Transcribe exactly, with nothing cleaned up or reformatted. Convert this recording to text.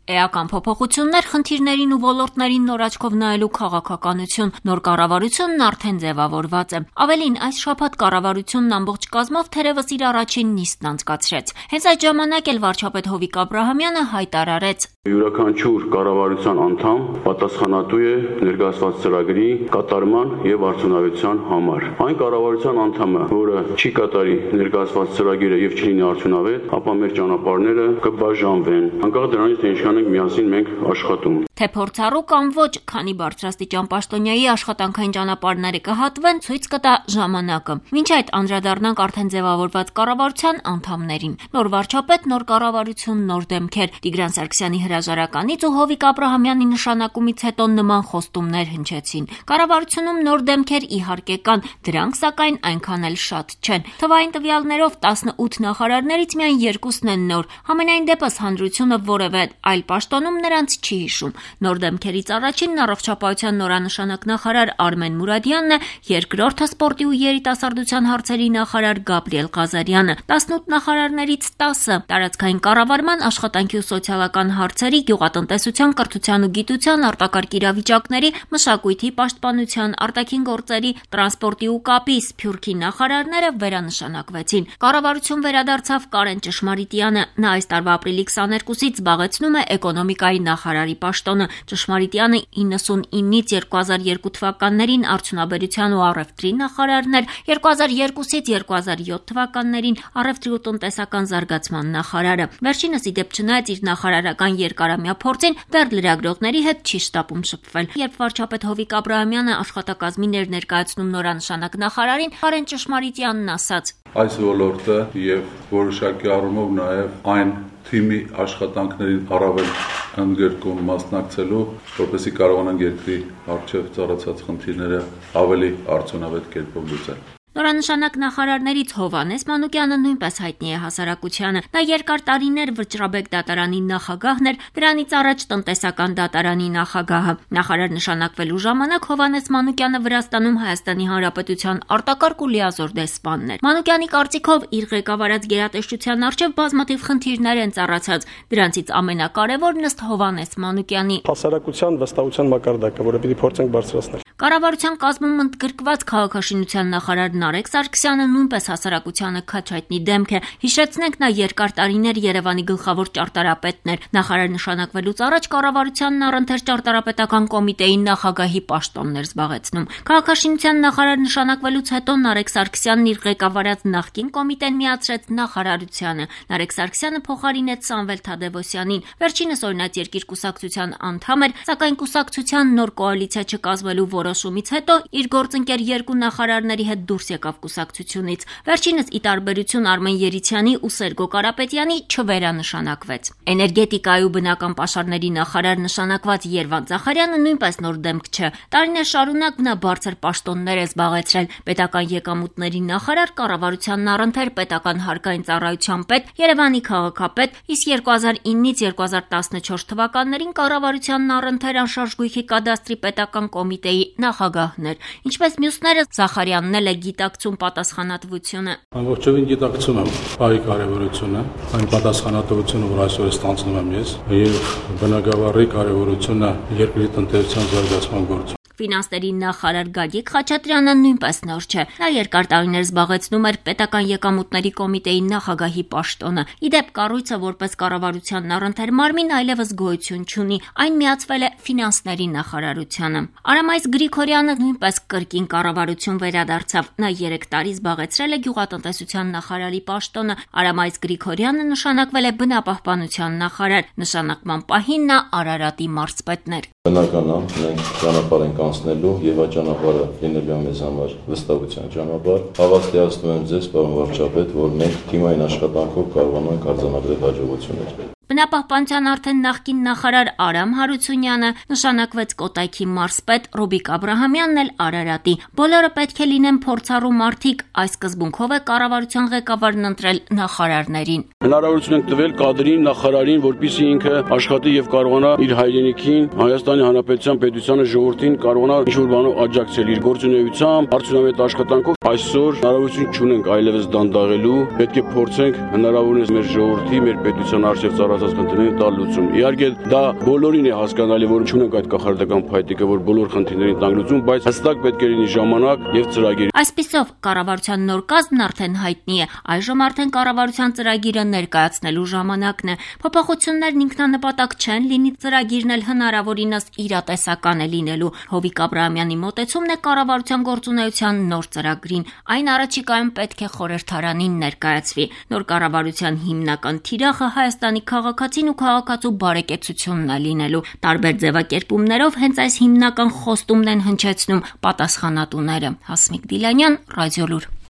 Էական փոփոխություններ, խնդիրներին ու ոլորտներին նոր աչքով նայելու քաղաքականություն, նոր կառավարությունն արդեն ձևավորված է։ Ավելին, այս շաբաթ կառավարությունն ամբողջ կազմով թերևս իր առաջին նիստն անցկացրեց։ Հենց այդ ժամանակ էլ վարչապետ Հովիկ Աբրահամյանը հայտարարեց. Յուրաքանչյուր կառավարության անդամ պատասխանատու է ներկայացված ծրագրի կատարման եւ արդյունավետության համար։ Այն կառավարության անդամը, որը չի կատարի ներկայացված ծրագիրը եւ չլինի արդյունավետ, ապա մեր ճանապարհները կբաժանվեն։ Անկախ դրանից, թե ինչքան ենք միասին մենք աշխատում։ Թե փորձառու կամ ոչ, քանի բարձրաստիճան պաշտոնյայի աշխատանքային ճանապարհները կհատվեն, ցույց կտա ժամանակը։ Մինչ այդ անդրադառնանք արդեն ձևավորված կառավարության անդամներին։ Նոր վարչապետ, նոր կառավարություն, նոր դեմքեր։ Տիգրան Սարգսյանի հրաժարականից ու Հովիկ Աբրահամյանի նշանակումից հետո նման խոստումներ հնչեցին։ Կառավարությունում նոր դեմքեր իհարկե կան, դրանք սակայն այնքան էլ շատ չեն։ Թվային տվյալներով տասնութ նախարարներից միայն երկուսն են նոր։ Համենայն դեպս հանրությունը որևէ այլ պաշտոնում նրանց չի հիշում։ Նոր դեմքերից առաջինն առողջապահության նորանշանակ նախարար Արմեն Մուրադյանն է, երկրորդը սպորտի ու երիտասարդության հարցերի նախարար Գաբրիել Ղազարյանը։ տասնութ նախարարներից տասը տարածքային կառավարման, աշխատանքի ու սոցիալական հարցերի, գյուղատնտեսության, կրթության ու գիտության, արտակարգ իրավիճակների, մշակույթի, պաշտպանության, արտաքին գործերի, տրանսպորտի ու կապի, սփյուռքի նախարարները վերանշանակվեցին։ Կառավարություն վերադարձավ Կարեն Ճշմարիտյանը։ Նա այս տարվա ապրիլի քսաներկուսից զբաղեցնում է էկոնոմիկայի նախարարի պաշտոնը։ Ճշմարիտյանը իննսունինից երկու հազար երկու թվականներին արդյունաբերության ու առևտրի նախարարն էր, երկու հազար երկուսից երկու հազար յոթ թվականներին առևտրի ու տնտեսական զարգացման նախարարը։ Վերջինս ի դեպ չնայած իր նախարարական երկարամյա փորձին, դեռ լրագրողների հետ չի շտապում շփվել։ Երբ վարչապետ Հովիկ Աբրահամյանը աշխատակազմին էր ներկայացնում նորանշանակ նախարարին, Կարեն Ճշմարիտյանն ասաց. Այս ոլորտը եւ որոշակի առումով նաեւ այն թիմի աշխատանքներին առավել ընդգրկում մասնակցելու, որպեսզի կարողանան երկրի առջև ծառացած խնդիրները ավելի արդյունավետ կերպով լուծել։ Նորանշանակ նախարարներից Հովհաննես Մանուկյանը նույնպես հայտնի է հասարակությանը։ Նա երկար տարիներ Վճռաբեկ դատարանի նախագահն էր, դրանից առաջ տնտեսական դատարանի նախագահը։ Նախարար նշանակվելու ժամանակ Հովհաննես Մանուկյանը Վրաստանում Հայաստանի Հանրապետության արտակարգ ու լիազոր դեսպանն էր։ Մանուկյանի կարծիքով իր ղեկավարած գերատեսչության առջև բազմաթիվ խնդիրներ են ծառացած, դրանցից ամենակարևորն ըստ Հովհաննես Մանուկյանի հասարակության վստահության մակարդակը, որը պիտի փորձենք բարձրացնել։ Կառավարության կազմում ընդգրկված քաղաքաշինության նախարար Նարեկ Սարգսյանը նույնպես հասարակությանը քաջ հայտնի դեմք է։ Հիշեցնենք, նա երկար տարիներ Երևանի գլխավոր ճարտարապետն էր։ Նախարար նշանակվելուց առաջ կառավարությանն առընթեր ճարտարապետական կոմիտեի նախագահի պաշտոնն էր զբաղեցնում։ Քաղաքաշինության նախարար նշանակվելուց հետո Նարեկ Սարգսյանն իր ղեկավարած նախկին կոմիտեն միացրեց նախարարությանը։ Նարեկ Սարգսյանը փոխարինեց Սամվել Թադևոսյանին։ Վերջինս օրինաց երկիր կուսակցության անդամ էր, սակայն կուսակցության նոր կոալիցիա չկազմելու որոշումից հետո իր գործընկեր երկու նախարարների հետ դուրս եկավ կուսակցությունից։ Վերջինս ի տարբերություն Արմեն Երիցյանի ու Սերգո Կարապետյանի չվերանշանակվեց։ Էներգետիկայի ու բնական պաշարների նախարար նշանակված Երվանդ Զախարյանը նույնպես նոր դեմք չէ։ Տարիներ շարունակ նա բարձր պաշտոններ է զբաղեցրել։ Պետական եկամուտների նախարար, կառավարությանն առընթեր պետական հարկային ծառայության պետ, Երևանի քաղաքապետ, իսկ երկու հազար իննից երկու հազար տասնչորս թվականներին կառավարությանն առընթեր անշարժ գույքի կադաստրի պետական կոմիտեի նախագահն էր։ Ինչպես մյուսները, Զախարյանն էլ է գիտակցում պատասխանատվությունը։ Ամբողջովին գիտակցում եմ այ կարևորությունը, այն պատասխանատվությունը, որ այսօր ստանձնում եմ ես, եւ բնագավառի կարևորությունը երկրի տնտեսության զարգացման գործում։ Ֆինանսների նախարար Գագիկ Խաչատրյանը նույնպես նոր չէ։ Նա երկար տարիներ զբաղեցնում էր պետական եկամուտների կոմիտեի նախագահի պաշտոնը։ Ի դեպ, կառույցը որպես կառավարությանն առընթեր մարմին այլևս գոյություն չունի։ Այն միացվել է ֆինանսների նախարարությանը։ Արամայիս Գրիգորյանը նույնպես կրկին կառավարություն վերադարձավ։ Նա երեք տարի զբաղեցրել է գյուղատնտեսության նախարարի պաշտոնը։ Արամայիս Գրիգորյանը նշանակվել է բնապահպանության նախարար։ Նշանակման պահին նա Արարատի մարզպետն էր։ Բնական է, մենք ճանապարհ ենք անցնելու եւ այդ ճանապարհը լինելու է մեզ համար վստահության ճանապարհ։ Հավաստիացնում եմ ձեզ, պարոն վարչապետ, որ մենք թիմային աշխատանքով կարողանում ենք արձանագրել հաջողություններ։ Բնապահպանության արդեն նախկին նախարար Արամ Հարությունյանը նշանակվեց Կոտայքի մարզպետ, Ռուբիկ Աբրահամյանն էլ Արարատի։ Բոլորը պետք է լինեն փորձառու մարդիկ, այս սկզբունքով է կառավարության ղեկավարն ընտրել նախարարներին։ Հնարավորություն ենք տվել կադրին, նախարարին, որպեսզի ինքը աշխատի եւ կարողանա իր հայրենիքին, Հայաստանի Հանրապետության պետությանը, ժողովրդին կարողանա ինչ-որ բանով աջակցել իր գործունեությամբ, արդյունավետ աշխատանքով։ Այսօր հնարավորություն չունենք այլևս դանդաղելու, պետք է փորձենք հնարավորինս մեր ժողովրդի, մեր պետության արժեվ ցանկացած խնդիրներին տալ լուծում։ Իհարկե դա բոլորին է հասկանալի, որ չունենք այդ կախարդական փայտիկը, որ բոլոր խնդիրներին տանք լուծում, բայց հստակ պետք է լինի ժամանակ եւ ծրագիր։ Այսպիսով կառավարության նոր կազմն արդեն հայտնի է, այժմ արդեն կառավարության ծրագիրը ներկայացնելու ժամանակն է։ Փոփոխություններն ինքնանպատակ չեն, լինի ծրագիրն էլ հնարավորինս իրատեսական է լինելու։ Հովիկ Աբրահամյանի մոտեցումն է կառավարության գործունեության նոր ծրագրին։ Այն առաջիկայում պետք է խորհրդարանին ներկայացվի։ Նոր կառավարության հիմնական թիրախը Հայաստանի քաղաքացին ու քաղաքացու բարեկեցությունն է լինելու։ Տարբեր ձևակերպումներով հենց այս հիմնական խոստումն են հնչեցնում պատասխանատուները։ Հասմիկ Դիլանյան, Ռադիոլուր։